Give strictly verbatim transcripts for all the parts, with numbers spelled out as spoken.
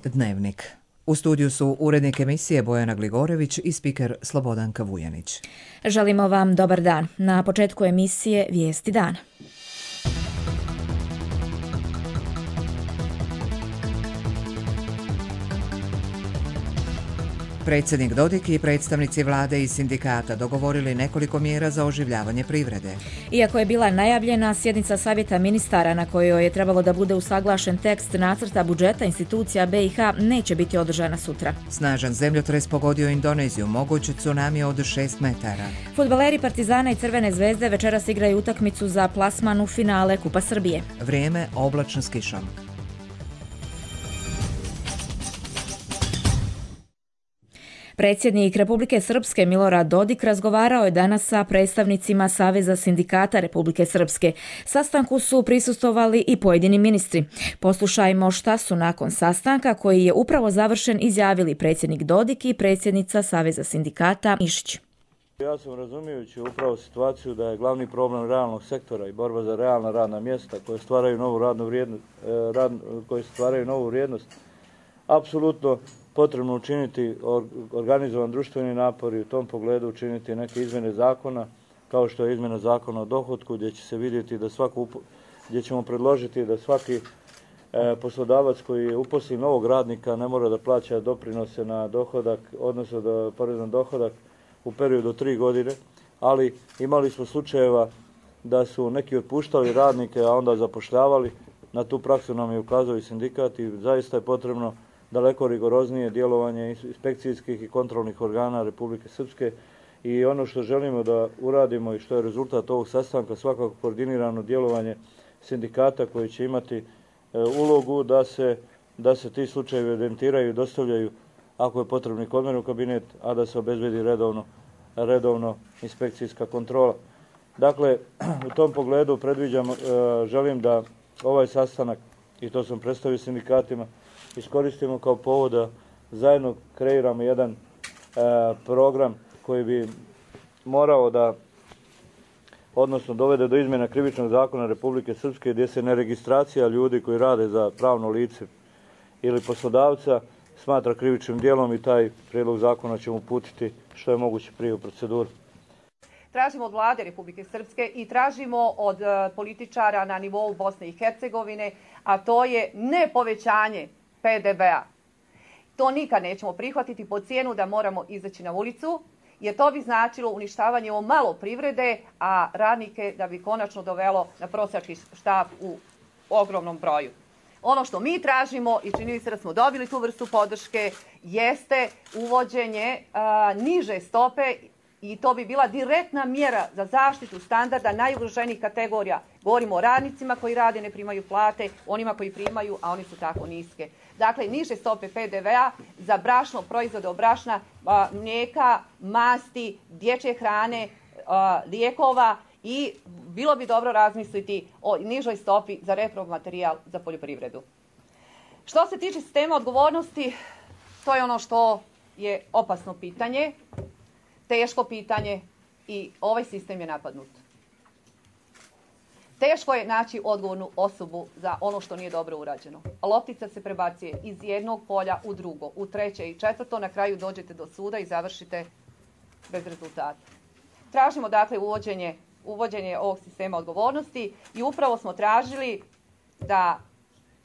Dnevnik. U studiju su urednik emisije Bojana Gligorević i spiker Slobodanka Vujanić. Želimo vam dobar dan. Na početku emisije Vijesti dana. Predsjednik Dodik i predstavnici vlade i sindikata dogovorili nekoliko mjera za oživljavanje privrede. Iako je bila najavljena sjednica savjeta ministara na kojoj je trebalo da bude usaglašen tekst nacrta budžeta institucija B i H, neće biti održana sutra. Snažan zemljotres pogodio Indoneziju, moguć tsunami od šest metara. Fudbaleri Partizana i Crvene zvezde večeras igraju utakmicu za plasman u finale Kupa Srbije. Vrijeme oblačno s kišom. Predsjednik Republike Srpske Milorad Dodik razgovarao je danas sa predstavnicima Saveza sindikata Republike Srpske. Sastanku su prisustvovali i pojedini ministri. Poslušajmo šta su nakon sastanka, koji je upravo završen, izjavili predsjednik Dodik i predsjednica Saveza sindikata Mišić. Ja sam razumijući upravo situaciju da je glavni problem realnog sektora i borba za realna radna mjesta koje stvaraju novu radnu vrijednost, rad, koje stvaraju novu vrijednost, apsolutno potrebno učiniti organizovan društveni napor i u tom pogledu učiniti neke izmjene zakona, kao što je izmjena zakona o dohotku, gdje će se vidjeti da svako, gdje ćemo predložiti da svaki e, poslodavac koji uposli novog radnika ne mora da plaća doprinose na dohodak, odnosno da porez na dohodak u periodu od tri godine, ali imali smo slučajeva da su neki otpuštali radnike, a onda zapošljavali. Na tu praksu nam je ukazao i sindikat i zaista je potrebno daleko rigoroznije djelovanje inspekcijskih i kontrolnih organa Republike Srpske i ono što želimo da uradimo i što je rezultat ovog sastanka, svakako koordinirano djelovanje sindikata koji će imati e, ulogu da se, da se ti slučajevi evidentiraju i dostavljaju ako je potrebni kod mene u kabinet, a da se obezbedi redovno, redovno inspekcijska kontrola. Dakle, u tom pogledu predviđam, e, želim da ovaj sastanak, i to sam predstavio sindikatima, iskoristimo kao povod da zajedno kreiramo jedan e, program koji bi morao da, odnosno dovede do izmjena krivičnog zakona Republike Srpske, gdje se neregistracija ljudi koji rade za pravno lice ili poslodavca smatra krivičnim djelom i taj prijedlog zakona ćemo uputiti što je moguće prije u proceduru. Tražimo od vlade Republike Srpske i tražimo od političara na nivou Bosne i Hercegovine, a to je ne povećanje P D B-a. To nikad nećemo prihvatiti po cijenu da moramo izaći na ulicu, jer to bi značilo uništavanje o malo privrede, a radnike da bi konačno dovelo na prosjački štap u ogromnom broju. Ono što mi tražimo, i čini se da smo dobili tu vrstu podrške, jeste uvođenje a, niže stope, i to bi bila direktna mjera za zaštitu standarda najugroženijih kategorija. Govorimo o radnicima koji rade, ne primaju plate, onima koji primaju, a oni su tako niske. Dakle, niže stope P D V-a za brašno, proizvode od brašna, mlijeka, masti, dječje hrane, lijekova i bilo bi dobro razmisliti o nižoj stopi za repromaterijal za poljoprivredu. Što se tiče sistema odgovornosti, to je ono što je opasno pitanje, teško pitanje i ovaj sistem je napadnut. Teško je naći odgovornu osobu za ono što nije dobro urađeno. Loptica se prebacuje iz jednog polja u drugo, u treće i četvrto, na kraju dođete do suda i završite bez rezultata. Tražimo dakle uvođenje, uvođenje ovog sistema odgovornosti i upravo smo tražili da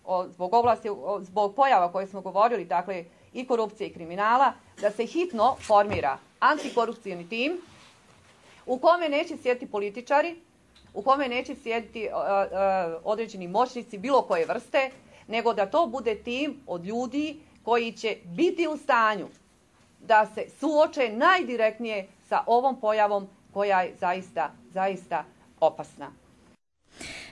o, zbog, oblasti, o, zbog pojava koje smo govorili, dakle i korupcije i kriminala, da se hitno formira antikorupcijni tim u kome neće sjediti političari, u kome neće sjediti uh, uh, određeni moćnici bilo koje vrste, nego da to bude tim od ljudi koji će biti u stanju da se suoče najdirektnije sa ovom pojavom koja je zaista, zaista opasna.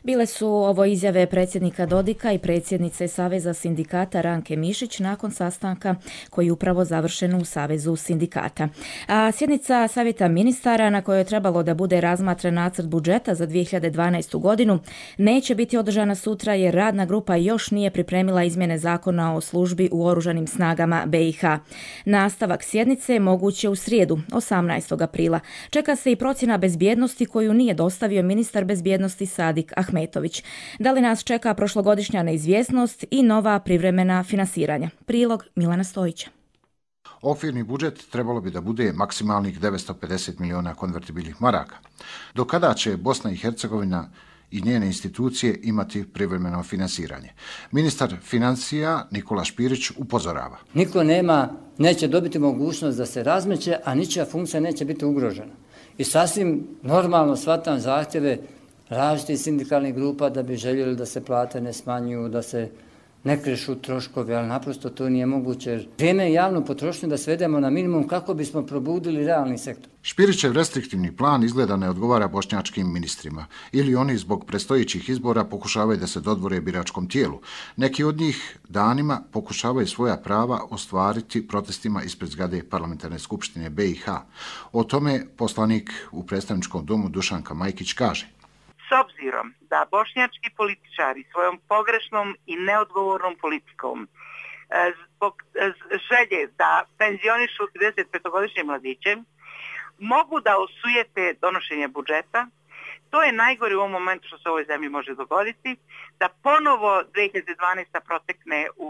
Bile su ovo izjave predsjednika Dodika i predsjednice Saveza sindikata Ranke Mišić nakon sastanka koji je upravo završen u Savezu sindikata. A sjednica Savjeta ministara na kojoj je trebalo da bude razmatran nacrt budžeta za dvije hiljade dvanaestu godinu neće biti održana sutra jer radna grupa još nije pripremila izmjene zakona o službi u oružanim snagama B i H. Nastavak sjednice je moguće u srijedu, osamnaestog aprila. Čeka se i procjena bezbjednosti koju nije dostavio ministar bezbjednosti Sadik Ahmetović. Ahmetović. Da li nas čeka prošlogodišnja neizvjesnost i nova privremena finansiranja? Prilog Milana Stojića. Okvirni budžet trebalo bi da bude maksimalnih devetsto pedeset miliona konvertibilnih maraka. Do kada će Bosna i Hercegovina i njene institucije imati privremeno finansiranje? Ministar financija Nikola Špirić upozorava. Niko nema, neće dobiti mogućnost da se razmeće, a ničija funkcija neće biti ugrožena. I sasvim normalno shvatam zahtjeve različitih sindikalnih grupa da bi željeli da se plate ne smanjuju, da se ne krešu troškovi, ali naprosto to nije moguće. Vrijeme je javnu potrošnju da svedemo na minimum kako bismo probudili realni sektor. Špirićev restriktivni plan izgleda ne odgovara bošnjačkim ministrima. Ili oni zbog predstojećih izbora pokušavaju da se dodvore biračkom tijelu. Neki od njih danima pokušavaju svoja prava ostvariti protestima ispred zgrade Parlamentarne skupštine B i H. O tome poslanik u predstavničkom domu Dušanka Majkić kaže. S obzirom da bošnjački političari svojom pogrešnom i neodgovornom politikom zbog želje da penzionišu tridesetpetogodišnje mladiće mogu da osujete donošenje budžeta, to je najgore u ovom momentu što se u ovoj zemlji može dogoditi, da ponovo dve hiljade dvanaeste. protekne u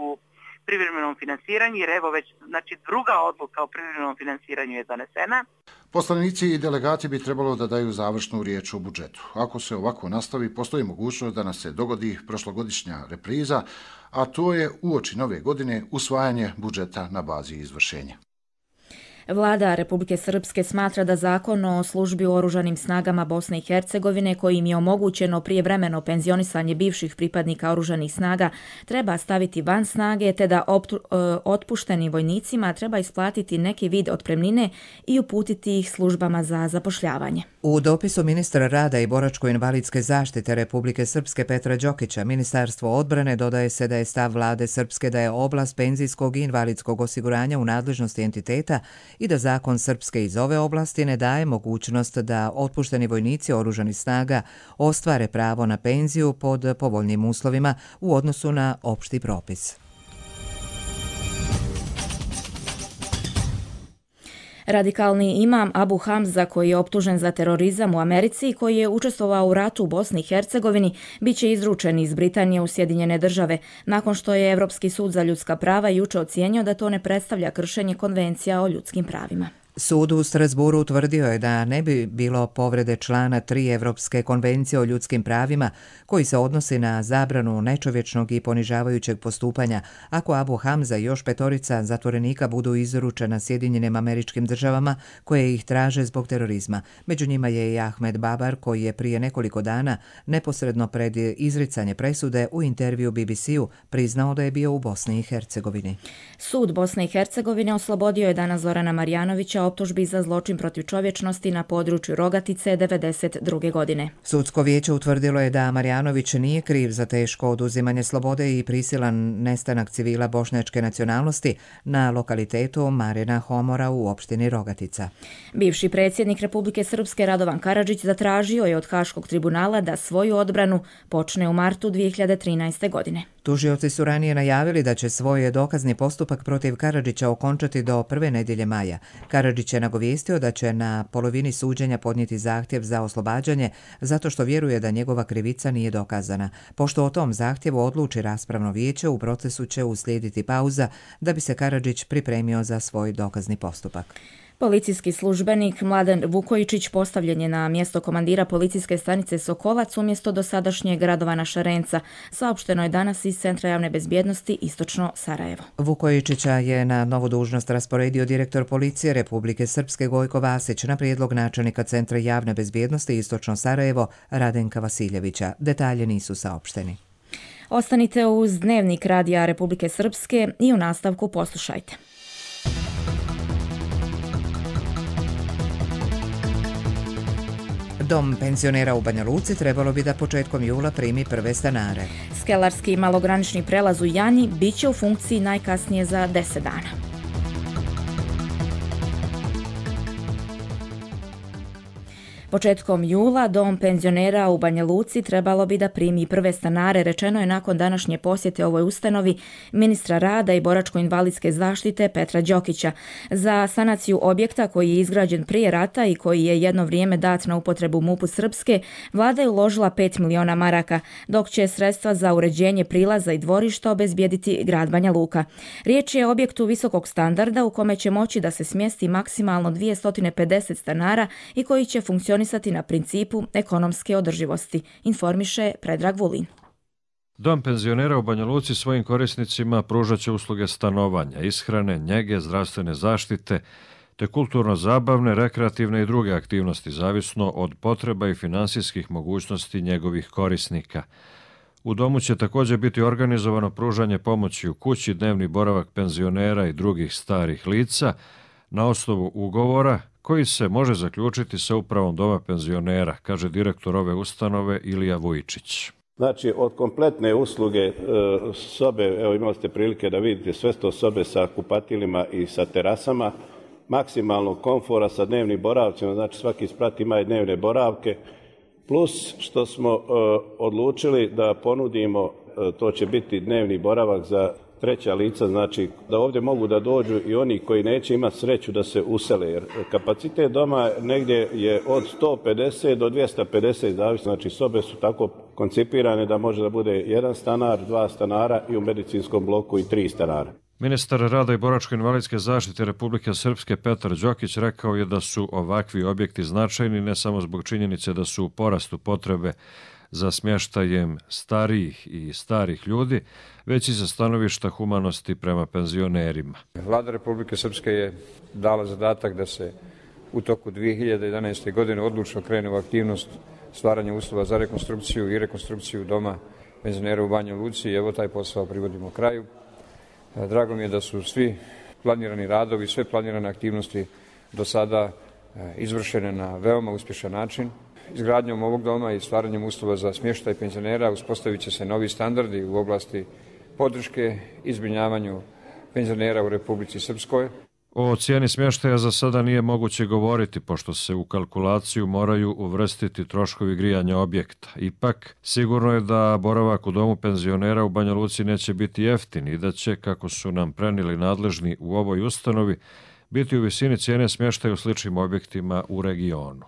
privremenom finansiranju, jer evo već znači, druga odluka o privremenom finansiranju je donesena. Poslanici i delegati bi trebalo da daju završnu riječ o budžetu. Ako se ovako nastavi, postoji mogućnost da nas se dogodi prošlogodišnja repriza, a to je uoči nove godine usvajanje budžeta na bazi izvršenja. Vlada Republike Srpske smatra da zakon o službi u oružanim snagama Bosne i Hercegovine, kojim je omogućeno prijevremeno penzionisanje bivših pripadnika oružanih snaga, treba staviti van snage, te da otpuštenim vojnicima treba isplatiti neki vid otpremnine i uputiti ih službama za zapošljavanje. U dopisu ministra rada i boračko-invalidske zaštite Republike Srpske Petra Đokića, Ministarstvo odbrane dodaje se da je stav vlade Srpske da je oblast penzijskog i invalidskog osiguranja u nadležnosti entiteta i da zakon Srpske iz ove oblasti ne daje mogućnost da otpušteni vojnici oružanih snaga ostvare pravo na penziju pod povoljnim uslovima u odnosu na opšti propis. Radikalni imam Abu Hamza, koji je optužen za terorizam u Americi i koji je učestvovao u ratu u Bosni i Hercegovini, bit će izručen iz Britanije u Sjedinjene države, nakon što je Evropski sud za ljudska prava juče ocijenio da to ne predstavlja kršenje konvencija o ljudskim pravima. Sud u Strasburu utvrdio je da ne bi bilo povrede člana tri Evropske konvencije o ljudskim pravima, koji se odnosi na zabranu nečovječnog i ponižavajućeg postupanja, ako Abu Hamza i još petorica zatvorenika budu izručena Sjedinjenim Američkim Državama koje ih traže zbog terorizma. Među njima je i Ahmed Babar, koji je prije nekoliko dana neposredno pred izricanje presude u intervju B B C-u priznao da je bio u Bosni i Hercegovini. Sud Bosne i Hercegovine oslobodio je danas Zorana Marjanovića optužbi za zločin protiv čovječnosti na području Rogatice devedeset druge. godine. Sudsko vijeće utvrdilo je da Marjanović nije kriv za teško oduzimanje slobode i prisilan nestanak civila bošnjačke nacionalnosti na lokalitetu Marina Homora u opštini Rogatica. Bivši predsjednik Republike Srpske Radovan Karadžić zatražio je od Haškog tribunala da svoju odbranu počne u martu dvije hiljade trinaeste. godine. Tužioci su ranije najavili da će svoj dokazni postupak protiv Karadžića okončati do prve nedjelje maja. Karadžić je nagovijestio da će na polovini suđenja podnijeti zahtjev za oslobađanje zato što vjeruje da njegova krivica nije dokazana. Pošto o tom zahtjevu odluči raspravno vijeće, u procesu će uslijediti pauza da bi se Karadžić pripremio za svoj dokazni postupak. Policijski službenik Mladen Vukojičić postavljen je na mjesto komandira policijske stanice Sokolac umjesto dosadašnjeg Radovana Šarenca, saopšteno je danas iz Centra javne bezbjednosti Istočno Sarajevo. Vukojičića je na novu dužnost rasporedio direktor policije Republike Srpske Gojko Vasić na prijedlog načelnika Centra javne bezbjednosti Istočno Sarajevo Radenka Vasiljevića. Detalje nisu saopšteni. Ostanite uz Dnevnik Radija Republike Srpske i u nastavku poslušajte. Dom penzionera u Banja Luci trebalo bi da početkom jula primi prve stanare. Skelarski malogranični prelaz u Janji bit će u funkciji najkasnije za deset dana. Početkom jula dom penzionera u Banja Luci trebalo bi da primi prve stanare, rečeno je nakon današnje posjete ovoj ustanovi ministra rada i boračko-invalidske zaštite Petra Đokića. Za sanaciju objekta koji je izgrađen prije rata i koji je jedno vrijeme dat na upotrebu MUP-u Srpske, vlada je uložila pet miliona maraka, dok će sredstva za uređenje prilaza i dvorišta obezbijediti grad Banja Luka. Riječ je o objektu visokog standarda u kome će moći da se smjesti maksimalno dvjesto pedeset stanara i koji će funkcionisati na principu ekonomske održivosti, informiše Predrag Vulin. Dom penzionera u Banja Luci svojim korisnicima pružat će usluge stanovanja, ishrane, njege, zdravstvene zaštite, te kulturno-zabavne, rekreativne i druge aktivnosti, zavisno od potreba i finansijskih mogućnosti njegovih korisnika. U domu će također biti organizovano pružanje pomoći u kući, dnevni boravak penzionera i drugih starih lica na osnovu ugovora koji se može zaključiti sa upravom doma penzionera, kaže direktor ove ustanove Ilija Vujčić. Znači, od kompletne usluge sobe, evo imali ste prilike da vidite sve sto sobe sa kupatilima i sa terasama, maksimalnog komfora sa dnevnim boravcima, znači svaki sprat ima i dnevne boravke, plus što smo uh, odlučili da ponudimo, uh, to će biti dnevni boravak za treća lica, znači da ovdje mogu da dođu i oni koji neće imati sreću da se usele, jer kapacitet doma negdje je od sto pedeset do dvjesto pedeset, zavisno, znači sobe su tako koncipirane da može da bude jedan stanar, dva stanara i u medicinskom bloku i tri stanara. Ministar rada i boračko-invalidske zaštite Republike Srpske Petar Đokić rekao je da su ovakvi objekti značajni ne samo zbog činjenice da su u porastu potrebe za smještajem starijih i starih ljudi, već i za stanovišta humanosti prema penzionerima. Vlada Republike Srpske je dala zadatak da se u toku dvije hiljade jedanaeste. godine odlučno krene u aktivnost stvaranja uslova za rekonstrukciju i rekonstrukciju doma penzionera u Banja Luci i evo taj posao privodimo kraju. Drago mi je da su svi planirani radovi, sve planirane aktivnosti do sada izvršene na veoma uspješan način. Izgradnjom ovog doma i stvaranjem uslova za smještaj penzionera uspostavit će se novi standardi u oblasti podrške i zbrinjavanju penzionera u Republici Srpskoj. O cijeni smještaja za sada nije moguće govoriti, pošto se u kalkulaciju moraju uvrstiti troškovi grijanja objekta. Ipak, sigurno je da boravak u domu penzionera u Banja Luci neće biti jeftin i da će, kako su nam prenijeli nadležni u ovoj ustanovi, biti u visini cijene smještaja u sličnim objektima u regionu.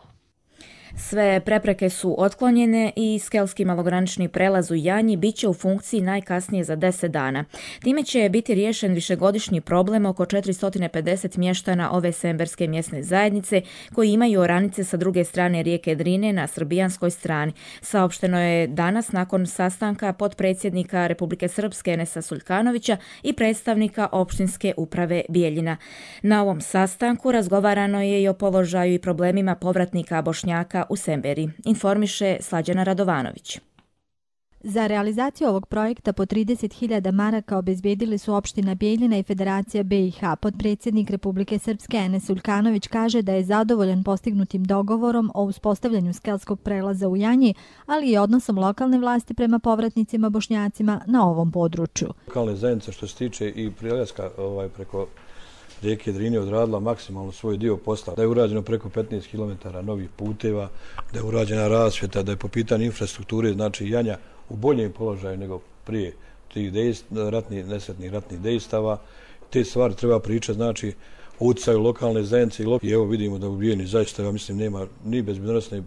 Sve prepreke su otklonjene i skelski malogranični prelaz u Janji bit će u funkciji najkasnije za deset dana. Time će biti riješen višegodišnji problem oko četiristo pedeset mještana ove semberske mjesne zajednice koji imaju oranice sa druge strane rijeke Drine na srbijanskoj strani. Saopšteno je danas nakon sastanka potpredsjednika Republike Srpske Enesa Suljkanovića i predstavnika opštinske uprave Bijeljina. Na ovom sastanku razgovarano je i o položaju i problemima povratnika Bošnjaka u Semberi, informiše Slađana Radovanović. Za realizaciju ovog projekta po trideset hiljada maraka obezbijedili su opština Bijeljina i Federacija B i H. Potpredsjednik Republike Srpske Enes Suljkanović kaže da je zadovoljan postignutim dogovorom o uspostavljanju skelskog prelaza u Janji, ali i odnosom lokalne vlasti prema povratnicima Bošnjacima na ovom području. Lokalne zajednice što se tiče i prelaska ovaj, preko rijeke Drine odradila maksimalno svoj dio posla, da je urađeno preko petnaest kilometara novih puteva, da je urađena rasvjeta, da je po pitanju infrastrukture, znači Janja u boljem položaju nego prije tih ratnih, nesretnih ratnih dejstava. Te stvari treba pričati, znači o utjecaju lokalne zajednice i evo vidimo da u Bijeni zaista, ja mislim, nema ni bezbednosnih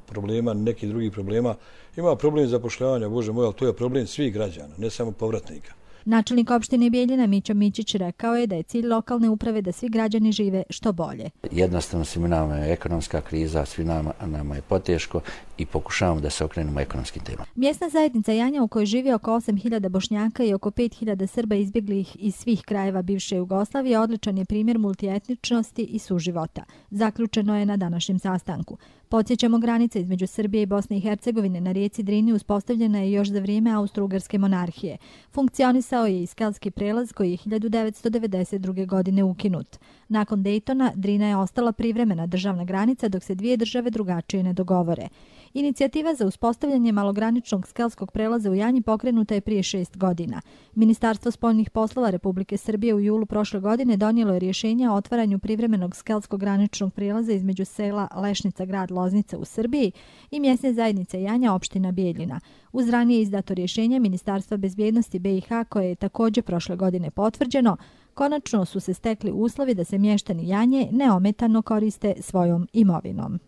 problema, ni nekih drugih problema. Ima problem zapošljavanja, Bože moj, ali to je problem svih građana, ne samo povratnika. Načelnik opštine Bijeljina Mićo Mićić rekao je da je cilj lokalne uprave da svi građani žive što bolje. Jednostavno svima nama je ekonomska kriza, svi nama, nama je poteško i pokušavamo da se okrenemo ekonomskim temama. Mjesna zajednica Janja u kojoj živi oko osam hiljada Bošnjaka i oko pet hiljada Srba izbjeglih iz svih krajeva bivše Jugoslavije odličan je primjer multietničnosti i suživota. Zaključeno je na današnjem sastanku. Podsjećamo, granica između Srbije i Bosne i Hercegovine na rijeci Drini uspostavljena je još za vrijeme Austro-Ugarske monarhije. Funkcionisao je i skelski prelaz koji je hiljadu devetsto devedeset druge. godine ukinut. Nakon Dejtona, Drina je ostala privremena državna granica dok se dvije države drugačije ne dogovore. Inicijativa za uspostavljanje malograničnog skelskog prelaza u Janji pokrenuta je prije šest godina. Ministarstvo spoljnih poslova Republike Srbije u julu prošle godine donijelo je rješenje o otvaranju privremenog skelskog graničnog prijelaza između sela Lešnica, grad Loznica u Srbiji i mjesne zajednice Janja, opština Bijeljina. Uz ranije izdato rješenje Ministarstva bezbjednosti B i H, koje je također prošle godine potvrđeno, konačno su se stekli uslovi da se mještani Janje neometano koriste svojom imovinom.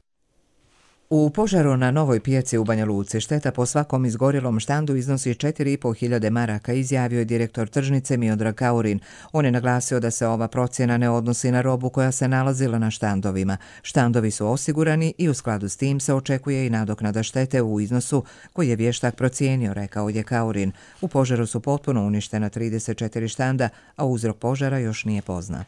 U požaru na Novoj pijaci u Banja Luci šteta po svakom izgorjelom štandu iznosi četiri i po hiljade maraka, izjavio je direktor tržnice Miodrag Kaurin. On je naglasio da se ova procjena ne odnosi na robu koja se nalazila na štandovima. Štandovi su osigurani i u skladu s tim se očekuje i nadoknada štete u iznosu koji je vještak procijenio, rekao je Kaurin. U požaru su potpuno uništena trideset četiri štanda, a uzrok požara još nije poznat.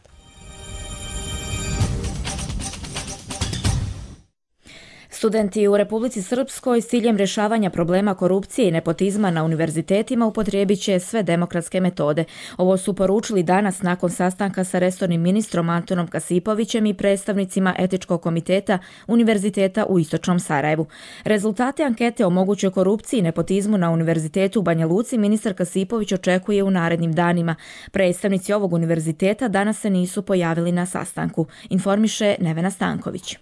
Studenti u Republici Srpskoj s ciljem rješavanja problema korupcije i nepotizma na univerzitetima upotrijebit će sve demokratske metode. Ovo su poručili danas nakon sastanka sa resornim ministrom Antonom Kasipovićem i predstavnicima Etičkog komiteta Univerziteta u Istočnom Sarajevu. Rezultate ankete o mogućoj korupciji i nepotizmu na Univerzitetu u Banja Luci ministar Kasipović očekuje u narednim danima. Predstavnici ovog univerziteta danas se nisu pojavili na sastanku, informiše Nevena Stanković.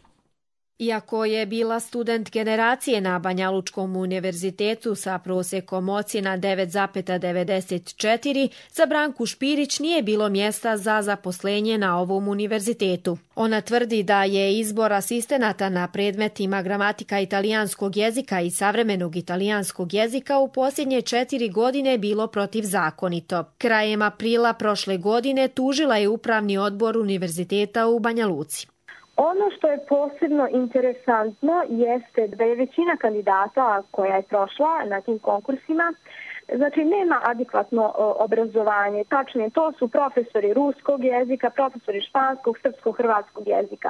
Iako je bila student generacije na Banja Lučkom univerzitetu sa prosjekom ocjena devet zarez devedeset četiri, za Branku Špirić nije bilo mjesta za zaposlenje na ovom univerzitetu. Ona tvrdi da je izbor asistenata na predmetima gramatika italijanskog jezika i savremenog italijanskog jezika u posljednje četiri godine bilo protivzakonito. Krajem aprila prošle godine tužila je upravni odbor univerziteta u Banja Luci. Ono što je posebno interesantno jeste da je većina kandidata koja je prošla na tim konkursima, znači nema adekvatno obrazovanje. Tačnije, to su profesori ruskog jezika, profesori španskog, srpskog, hrvatskog jezika.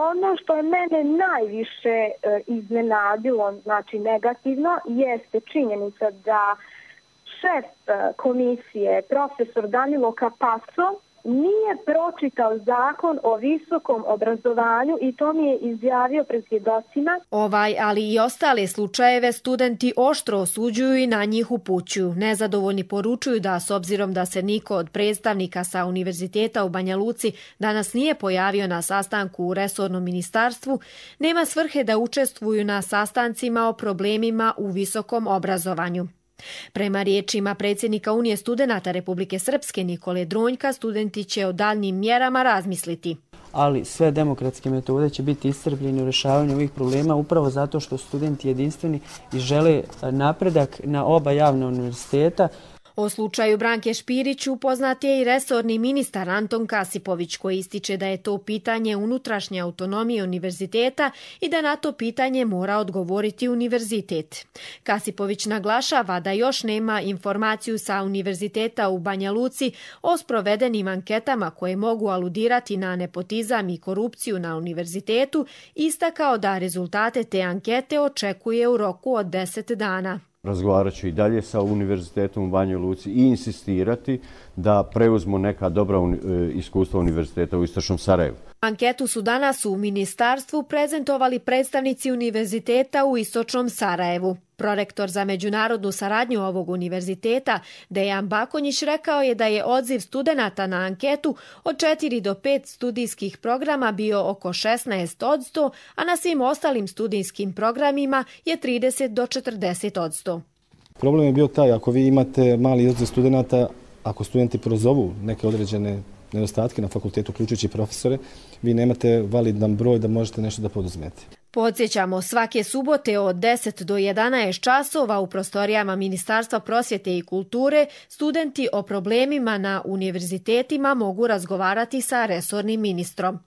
Ono što je mene najviše iznenadilo, znači negativno, jeste činjenica da šef komisije, profesor Danilo Capasso, nije pročitao zakon o visokom obrazovanju i to mi je izjavio pred svjedocima. Ovaj, ali i ostale slučajeve studenti oštro osuđuju i na njih upućuju. Nezadovoljni poručuju da s obzirom da se niko od predstavnika sa univerziteta u Banja Luci danas nije pojavio na sastanku u resornom ministarstvu, nema svrhe da učestvuju na sastancima o problemima u visokom obrazovanju. Prema riječima predsjednika Unije studenata Republike Srpske Nikole Dronjka, studenti će o daljnjim mjerama razmisliti. Ali sve demokratske metode će biti iscrpljene u rješavanju ovih problema upravo zato što studenti jedinstveni i žele napredak na oba javna univerziteta. O slučaju Branke Špirić upoznat je i resorni ministar Anton Kasipović, koji ističe da je to pitanje unutrašnje autonomije univerziteta i da na to pitanje mora odgovoriti univerzitet. Kasipović naglašava da još nema informaciju sa univerziteta u Banja Luci o sprovedenim anketama koje mogu aludirati na nepotizam i korupciju na univerzitetu, istakao da rezultate te ankete očekuje u roku od deset dana. Razgovarat ću i dalje sa univerzitetom u Banjoj Luci i insistirati da preuzmu neka dobra iskustva univerziteta u Istočnom Sarajevu. Anketu su danas u ministarstvu prezentovali predstavnici univerziteta u Istočnom Sarajevu. Prorektor za međunarodnu saradnju ovog univerziteta, Dejan Bakonjić, rekao je da je odziv studenata na anketu od četiri do pet studijskih programa bio oko šesnaest posto, a na svim ostalim studijskim programima je trideset do četrdeset posto. Problem je bio taj, ako vi imate mali odziv studenata, ako studenti prozovu neke određene nedostatke na fakultetu, uključujući profesore, vi nemate validan broj da možete nešto da poduzmete. Podsjećamo, svake subote od deset do jedanaest časova u prostorijama Ministarstva prosvjete i kulture studenti o problemima na univerzitetima mogu razgovarati sa resornim ministrom.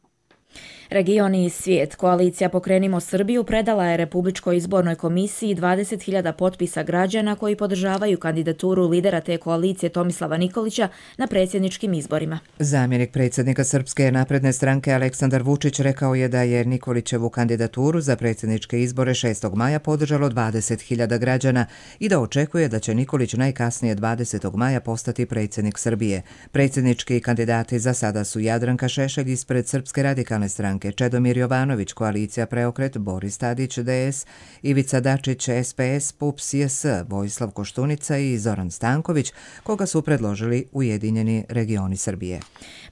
Region i svijet. Koalicija Pokrenimo Srbiju predala je Republičkoj izbornoj komisiji dvadeset hiljada potpisa građana koji podržavaju kandidaturu lidera te koalicije Tomislava Nikolića na predsjedničkim izborima. Zamjenik predsjednika Srpske napredne stranke Aleksandar Vučić rekao je da je Nikolićevu kandidaturu za predsjedničke izbore šestog maja podržalo dvadeset hiljada građana i da očekuje da će Nikolić najkasnije dvadesetog maja postati predsjednik Srbije. Predsjednički kandidati za sada su Jadranka Šešelj ispred Srpske radikalne stranke, Čedomir Jovanović, Koalicija Preokret, Boris Tadić, D S, Ivica Dačić, S P S, P U P S, J S, Vojislav Koštunica i Zoran Stanković, koga su predložili Ujedinjeni regioni Srbije.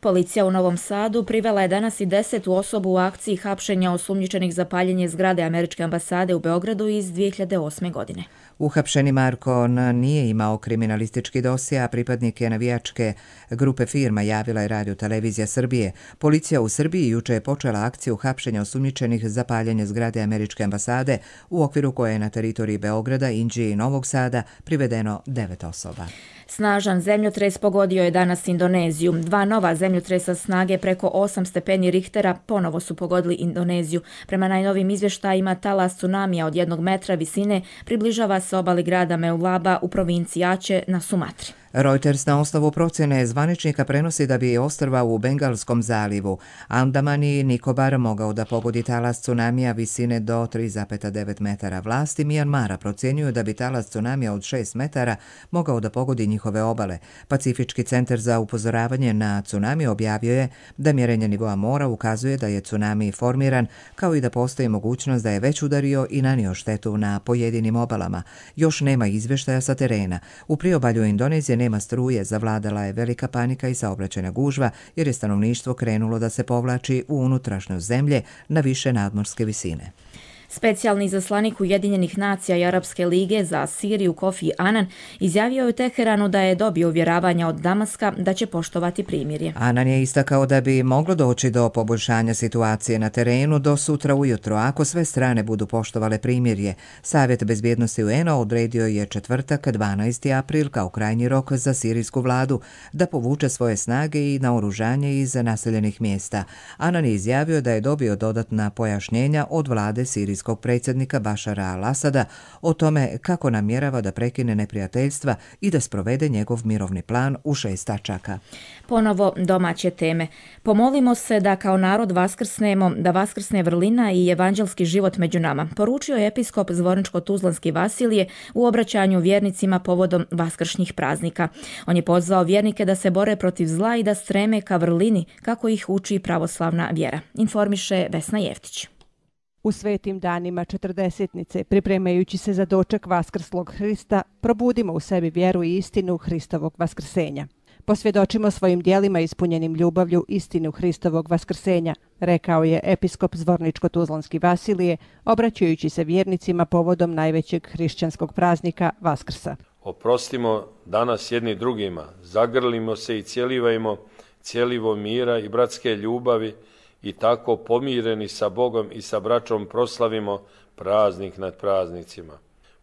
Policija u Novom Sadu privela je danas i desetu osobu u akciji hapšenja osumnjičenih za paljenje zgrade Američke ambasade u Beogradu iz dvije hiljade osme. godine. Uhapšeni Marko N. nije imao kriminalistički dosje, a pripadnik je navijačke grupe firma, javila je Radio Televizija Srbije. Policija u Srbiji juče je počela akciju hapšenja osumnjičenih za paljenje zgrade Američke ambasade, u okviru koje je na teritoriji Beograda, Inđije i Novog Sada privedeno devet osoba. Snažan zemljotres pogodio je danas Indoneziju. Dva nova zemljotresa snage preko osam stepeni Richtera ponovo su pogodili Indoneziju. Prema najnovim izvještajima, talas tsunamija od jednog metra visine približava se obali grada Meulaba u provinciji Aceh na Sumatri. Reuters na osnovu procjene zvaničnika prenosi da bi ostrva u Bengalskom zalivu, Andaman i Nikobar mogao da pogodi talas tsunamija visine do tri zarez devet metara. Vlasti Mijanmara procjenjuju da bi talas tsunamija od šest metara mogao da pogodi njihove obale. Pacifički centar za upozoravanje na tsunami objavio je da mjerenje nivoa mora ukazuje da je tsunami formiran, kao i da postoji mogućnost da je već udario i nanio štetu na pojedinim obalama. Još nema izvještaja sa terena. U priobalju Indonezije nema struje, zavladala je velika panika i saobraćajna gužva jer je stanovništvo krenulo da se povlači u unutrašnjost zemlje na više nadmorske visine. Specijalni izaslanik Ujedinjenih nacija i Arapske lige za Siriju Kofi Anan izjavio je u Teheranu da je dobio uvjeravanja od Damaska da će poštovati primirje. Anan je istakao da bi moglo doći do poboljšanja situacije na terenu do sutra ujutro ako sve strane budu poštovale primirje. Savjet bezbjednosti U N-a odredio je četvrtak dvanaesti april kao krajnji rok za sirijsku vladu da povuče svoje snage i naoružanje iz naseljenih mjesta. Anan je izjavio da je dobio dodatna pojašnjenja od vlade sirijskog predsjednika Bašara al-Asada o tome kako namjerava da prekine neprijateljstva i da sprovede njegov mirovni plan u šest tačaka. Ponovo domaće teme. Pomolimo se da kao narod vaskrsnemo, da vaskrsne vrlina i evanđelski život među nama, poručio je episkop Zvorničko-Tuzlanski Vasilije u obraćanju vjernicima povodom vaskršnjih praznika. On je pozvao vjernike da se bore protiv zla i da streme ka vrlini kako ih uči pravoslavna vjera. Informiše Vesna Jeftić. U svetim danima četrdesetnice, pripremajući se za doček vaskrslog Hrista, probudimo u sebi vjeru i istinu Hristovog vaskrsenja. Posvjedočimo svojim dijelima ispunjenim ljubavlju istinu Hristovog vaskrsenja, rekao je episkop Zvorničko-Tuzlanski Vasilije, obraćajući se vjernicima povodom najvećeg hrišćanskog praznika Vaskrsa. Oprostimo danas jedni drugima, zagrlimo se i cijelivajmo cijelivo mira i bratske ljubavi, i tako pomireni sa Bogom i sa braćom proslavimo praznik nad praznicima.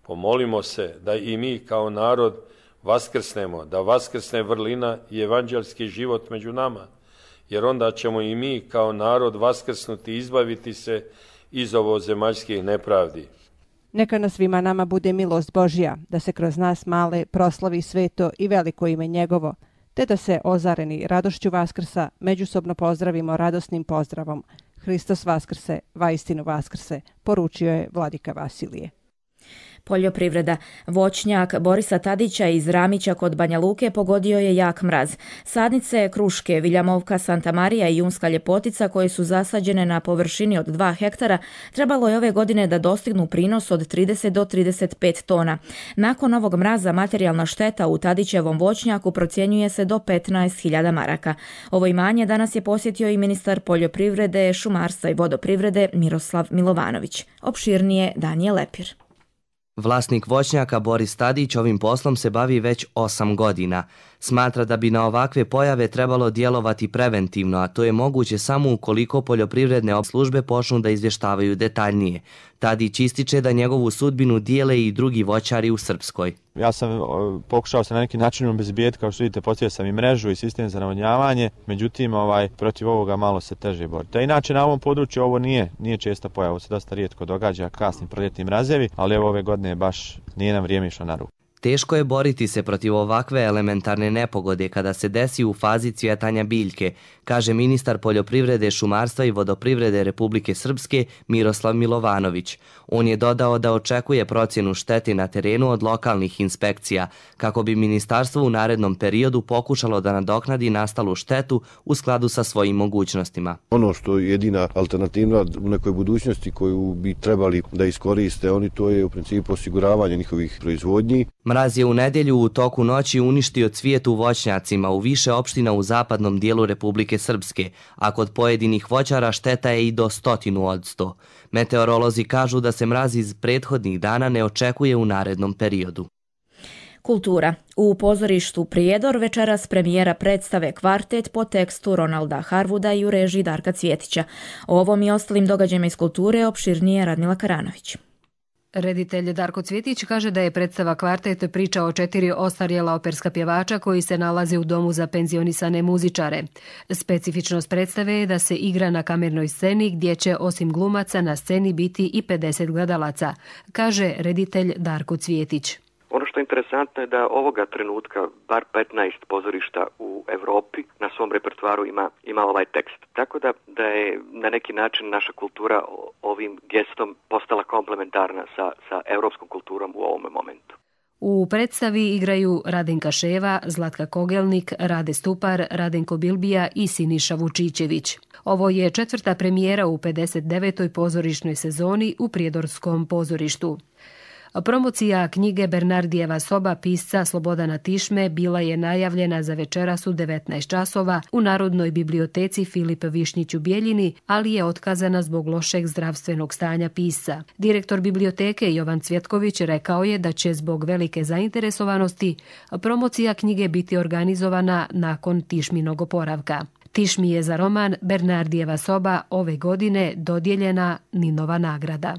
Pomolimo se da i mi kao narod vaskrsnemo, da vaskrsne vrlina i evanđelski život među nama, jer onda ćemo i mi kao narod vaskrsnuti i izbaviti se iz ovozemaljskih nepravdi. Neka na svima nama bude milost Božja, da se kroz nas male proslavi sveto i veliko ime njegovo, te da se ozareni radošću Vaskrsa međusobno pozdravimo radosnim pozdravom. Hristos Vaskrse, vaistinu Vaskrse, poručio je vladika Vasilije. Poljoprivreda. Voćnjak Borisa Tadića iz Ramića kod Banja Luke pogodio je jak mraz. Sadnice Kruške, Viljamovka, Santa Marija i Junska Ljepotica, koje su zasađene na površini od dva hektara, trebalo je ove godine da dostignu prinos od trideset do trideset pet tona. Nakon ovog mraza materijalna šteta u Tadićevom voćnjaku procjenjuje se do petnaest hiljada maraka. Ovo imanje danas je posjetio i ministar poljoprivrede, šumarstva i vodoprivrede Miroslav Milovanović. Opširnije Danijel Lepir. Vlasnik voćnjaka Boris Tadić ovim poslom se bavi već osam godina. Smatra da bi na ovakve pojave trebalo djelovati preventivno, a to je moguće samo ukoliko poljoprivredne službe počnu da izvještavaju detaljnije. Tadić ističe da njegovu sudbinu dijele i drugi voćari u Srpskoj. Ja sam pokušao se na neki način obezbijeti, kao što vidite, postavio sam i mrežu i sistem za navodnjavanje, međutim ovaj, protiv ovoga malo se teže boriti. A inače na ovom području ovo nije, nije česta pojava, ovo se dosta rijetko događa, kasni proljetni mrazevi, ali evo ove godine baš nije nam vrijeme išlo na ruku. Teško je boriti se protiv ovakve elementarne nepogode kada se desi u fazi cvjetanja biljke, kaže ministar poljoprivrede, šumarstva i vodoprivrede Republike Srpske Miroslav Milovanović. On je dodao da očekuje procjenu štete na terenu od lokalnih inspekcija, kako bi ministarstvo u narednom periodu pokušalo da nadoknadi nastalu štetu u skladu sa svojim mogućnostima. Ono što je jedina alternativa u nekoj budućnosti koju bi trebali da iskoriste oni, to je u principu osiguravanje njihovih proizvodnji. Mraz je u nedjelju u toku noći uništio cvijet u voćnjacima u više opština u zapadnom dijelu Republike Srpske, a kod pojedinih voćara šteta je i do stotinu od sto. Meteorolozi kažu da se mraz iz prethodnih dana ne očekuje u narednom periodu. Kultura. U pozorištu Prijedor večeras premijera predstave Kvartet po tekstu Ronalda Harwooda i u režiji Darka Cvjetića. O ovom i ostalim događajima iz kulture opširnije Radmila Karanović. Reditelj Darko Cvjetić kaže da je predstava Kvartet priča o četiri ostarjela operska pjevača koji se nalaze u domu za penzionisane muzičare. Specifičnost predstave je da se igra na kamernoj sceni gdje će osim glumaca na sceni biti i pedeset gledalaca, kaže reditelj Darko Cvjetić. Ono što je interesantno je da ovoga trenutka bar petnaest pozorišta u Europi na svom repertoaru ima, ima ovaj tekst. Tako da, da je na neki način naša kultura ovim gestom postala komplementarna sa, sa europskom kulturom u ovome momentu. U predstavi igraju Radenka Ševa, Zlatka Kogelnik, Rade Stupar, Radenko Bilbija i Siniša Vučićević. Ovo je četvrta premijera u pedeset devetoj pozorišnoj sezoni u Prijedorskom pozorištu. Promocija knjige Bernardijeva soba pisca Slobodana Tišme bila je najavljena za večeras u devetnaest časova u Narodnoj biblioteci Filip Višnjić u Bijeljini, ali je otkazana zbog lošeg zdravstvenog stanja pisca. Direktor biblioteke Jovan Cvjetković rekao je da će zbog velike zainteresovanosti promocija knjige biti organizovana nakon Tišminog oporavka. Tišmi je za roman Bernardijeva soba ove godine dodijeljena Ninova nagrada.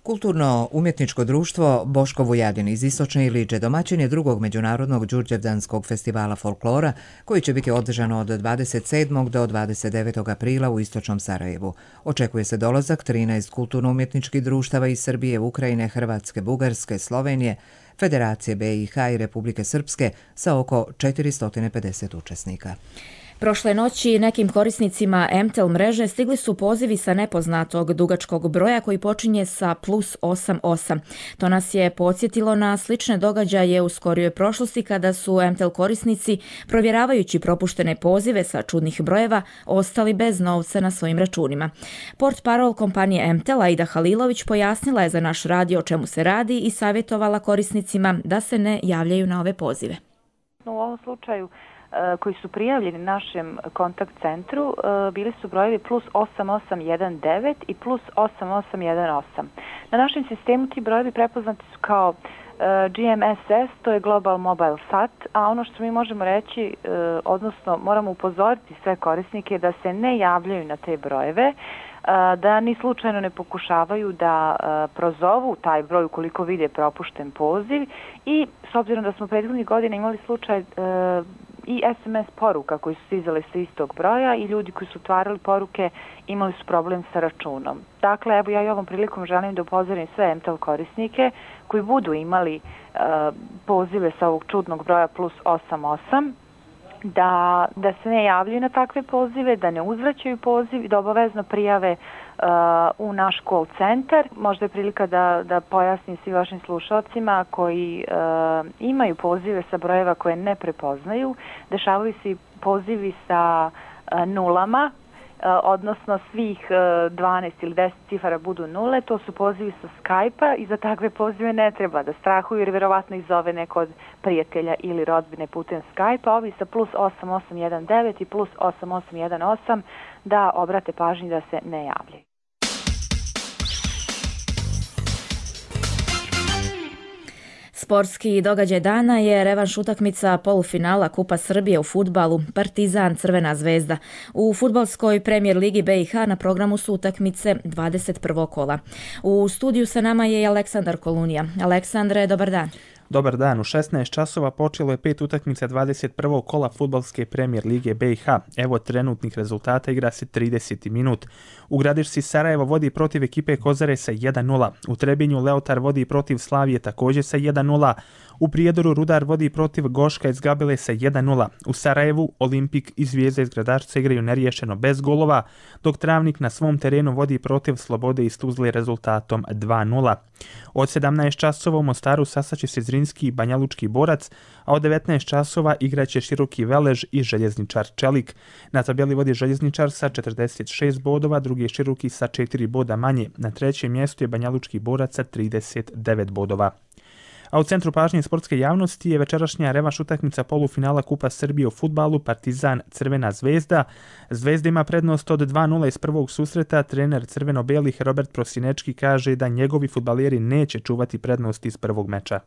Kulturno-umjetničko društvo Boško Vujadin iz Istočne Iliče domaćin je drugog međunarodnog Đurđevdanskog festivala folklora koji će biti održan od dvadeset sedmog do dvadeset devetog aprila u Istočnom Sarajevu. Očekuje se dolazak trinaest kulturno-umjetničkih društava iz Srbije, Ukrajine, Hrvatske, Bugarske, Slovenije, Federacije B i H i Republike Srpske sa oko četiristo pedeset učesnika. Prošle noći nekim korisnicima M T E L mreže stigli su pozivi sa nepoznatog dugačkog broja koji počinje sa plus osam osam. To nas je podsjetilo na slične događaje u skorijoj prošlosti kada su M T E L korisnici, provjeravajući propuštene pozive sa čudnih brojeva, ostali bez novca na svojim računima. Portparol kompanije M T E L Aida Halilović pojasnila je za naš radio o čemu se radi i savjetovala korisnicima da se ne javljaju na ove pozive. U ovom slučaju koji su prijavljeni našem kontakt centru bili su brojevi plus osam osam jedan devet i plus osam osam jedan osam. Na našem sistemu ti brojevi prepoznati su kao G M S S, to je Global Mobile Sat, a ono što mi možemo reći, odnosno moramo upozoriti sve korisnike da se ne javljaju na te brojeve, da ni slučajno ne pokušavaju da prozovu taj broj ukoliko vide propušten poziv i s obzirom da smo prethodnih godina imali slučaj i S M S poruka koji su stizale sa istog broja i ljudi koji su otvarali poruke imali su problem sa računom. Dakle, evo ja i ovom prilikom želim da upozorim sve M T E L korisnike koji budu imali uh, pozive sa ovog čudnog broja plus osam osam, da, da se ne javljaju na takve pozive, da ne uzvraćaju poziv i da obavezno prijave uh, u naš call centar. Možda je prilika da, da pojasnim svim vašim slušalcima koji uh, imaju pozive sa brojeva koje ne prepoznaju. Dešavaju se pozivi sa uh, nulama, odnosno svih dvanaest ili deset cifara budu nule, to su pozivi sa Skype-a i za takve pozive ne treba da strahuju jer vjerovatno ih zove neko od prijatelja ili rodbine putem Skype-a. Ovi sa plus osam osam jedan devet i plus osam osam jedan osam da obrate pažnju da se ne javljaju. Sportski događaj dana je revanš utakmica polufinala Kupa Srbije u fudbalu Partizan Crvena zvezda. U fudbalskoj premijer ligi B i H na programu su utakmice dvadeset prvog kola. U studiju sa nama je Aleksandar Kolunija. Aleksandre, dobar dan. Dobar dan, u šesnaest časova počelo je pet utakmica dvadeset prvog kola fudbalske premijer lige B i H. Evo trenutnih rezultata, igra se trideseti minut. U Gradišci Sarajevo vodi protiv ekipe Kozare sa jedan nula. U Trebinju Leotar vodi protiv Slavije također sa jedan nula. U Prijedoru Rudar vodi protiv Goška iz Gabele sa jedan nula. U Sarajevu Olimpik i Zvijezda iz Gradašca igraju neriješeno bez golova, dok Travnik na svom terenu vodi protiv Slobode iz Tuzle rezultatom dva nula. Od sedamnaest časova u Mostaru sastaće se Zrinski i Banjalučki Borac, a od devetnaest časova igraće Široki Velež i Željezničar Čelik. Na tabeli vodi Željezničar sa četrdeset šest bodova, drugi je Široki sa četiri boda manje. Na trećem mjestu je Banjalučki Borac sa trideset devet bodova. A u centru pažnje sportske javnosti je večerašnja revanš utakmica polufinala Kupa Srbije u fudbalu Partizan Crvena zvezda. Zvezda ima prednost od dva nula iz prvog susreta. Trener crveno-belih Robert Prosinečki kaže da njegovi fudbaleri neće čuvati prednost iz prvog meča.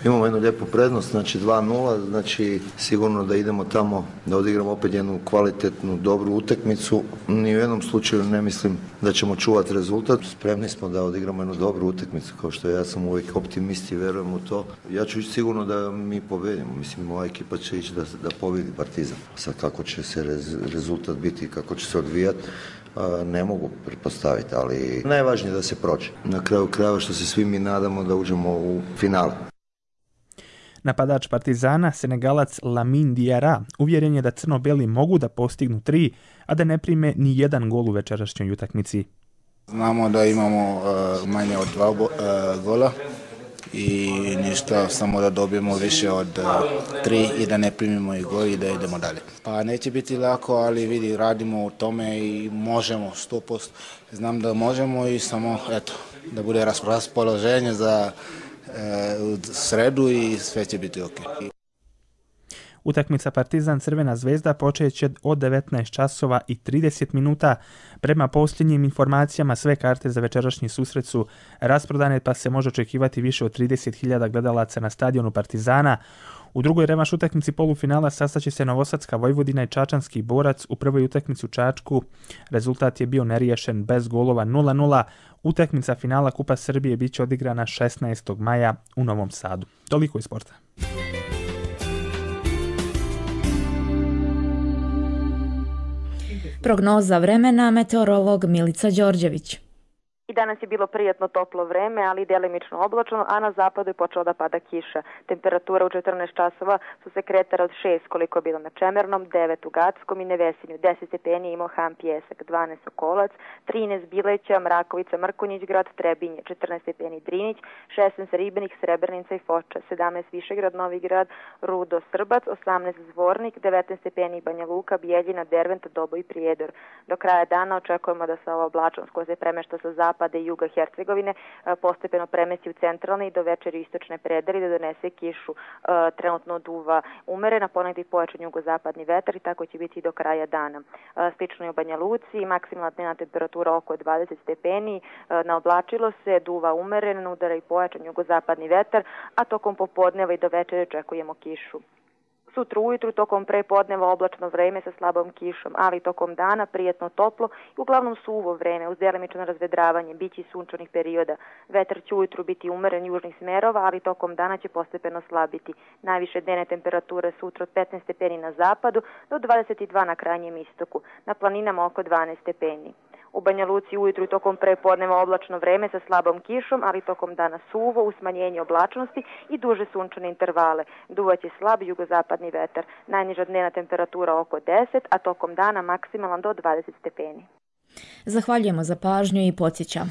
Imamo jednu lijepu prednost, znači dva nula, znači sigurno da idemo tamo da odigramo opet jednu kvalitetnu, dobru utakmicu. Ni u jednom slučaju ne mislim da ćemo čuvati rezultat. Spremni smo da odigramo jednu dobru utakmicu, kao što ja sam uvijek optimist i verujem u to. Ja ću ići sigurno da mi pobedimo, mislim moja ekipa će ići da, da pobedi Partizan. Sad kako će se rez, rezultat biti, kako će se odvijati, ne mogu pretpostaviti, ali najvažnije je da se prođe. Na kraju krajeva što se svi mi nadamo da uđemo u finale. Napadač Partizana, Senegalac Lamine Diarra, uvjeren je da crno-beli mogu da postignu tri, a da ne prime ni jedan gol u večerašnjoj utakmici. Znamo da imamo uh, manje od dva uh, gola i ništa, samo da dobijemo više od uh, tri i da ne primimo i gol i da idemo dalje. Pa neće biti lako, ali vidi, radimo u tome i možemo sto posto. Znam da možemo i samo, eto, da bude raspoloženje za u sredu i sve će biti ok. Utakmica Partizan Crvena zvezda počeće od devetnaest časova i trideset minuta. Prema posljednjim informacijama sve karte za večerašnji susret su rasprodane, pa se može očekivati više od trideset hiljada gledalaca na stadionu Partizana. U drugoj revanš utakmici polufinala sastaće se Novosadska Vojvodina i Čačanski Borac. U prvoj utakmici u Čačku rezultat je bio neriješen bez golova nula nula. Utakmica finala Kupa Srbije bit će odigrana šesnaestog maja u Novom Sadu. Toliko iz sporta. Prognoza vremena, meteorolog Milica Đorđević. I danas je bilo prijatno toplo vreme, ali delimično oblačno, a na zapadu je počela da pada kiša. Temperatura u četrnaest časova su se kretala od šest koliko je bilo na Čemernom, devet u Gackom i Nevesinju, deset stepeni imao Han Pjesak, dvanaest Sokolac, trinaest Bileća, Mrakovica, Mrkonjić grad, Trebinje, četrnaest stepeni Drinić, šesnaest Ribenik, Srebrenica i Foča, sedamnaest Višegrad, Novi Grad, Rudo, Srbac, osamnaest Zvornik, devetnaest stepeni Banja Luka, Bijeljina, Dervent, Dobo i Prijedor. Do kraja dana očekujemo da se ova oblačnost koja se premešta sa zapada i juga Hercegovine postepeno premesti u centralne i do večeri istočne predeli da donese kišu. Trenutno duva umerena, ponegdje pojačan jugozapadni vetar i tako će biti i do kraja dana. Slično je u Banja Luci, maksimalna dnevna temperatura oko dvadeset stepeni, naoblačilo se, duva umerena, udara i pojačan jugozapadni vetar, a tokom popodneva i do večeri očekujemo kišu. Sutra ujutru tokom prepodneva oblačno vreme sa slabom kišom, ali tokom dana prijetno toplo i uglavnom suvo vreme uz delimično razvedravanje, biće i sunčanih perioda. Vetar će ujutru biti umeren južnih smerova, ali tokom dana će postepeno slabiti. Najviše dnevne temperature sutra od petnaest stepeni na zapadu do dvadeset dva na krajnjem istoku, na planinama oko dvanaest stepeni. U Banja Luci ujutru i tokom prepodneva oblačno vreme sa slabom kišom, ali tokom dana suvo uz smanjenje oblačnosti i duže sunčane intervale. Duvaće slab jugozapadni vetar. Najniža dnevna temperatura oko deset, a tokom dana maksimalan do dvadeset stepeni. Zahvaljujemo za pažnju i podsjećamo.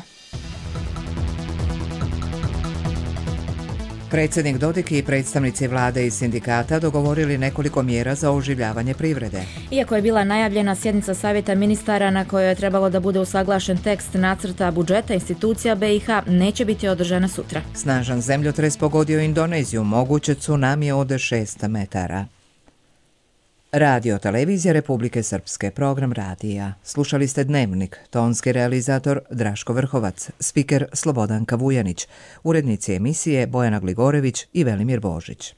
Predsjednik Dodik i predstavnici vlade i sindikata dogovorili nekoliko mjera za oživljavanje privrede. Iako je bila najavljena sjednica savjeta ministara na kojoj je trebalo da bude usaglašen tekst nacrta budžeta, institucija B i H neće biti održana sutra. Snažan zemljotres pogodio Indoneziju, moguće tsunami od šest metara. Radio Televizija Republike Srpske, program radija. Slušali ste Dnevnik, tonski realizator Draško Vrhovac, spiker Slobodanka Vujanić, urednici emisije Bojana Gligorević i Velimir Božić.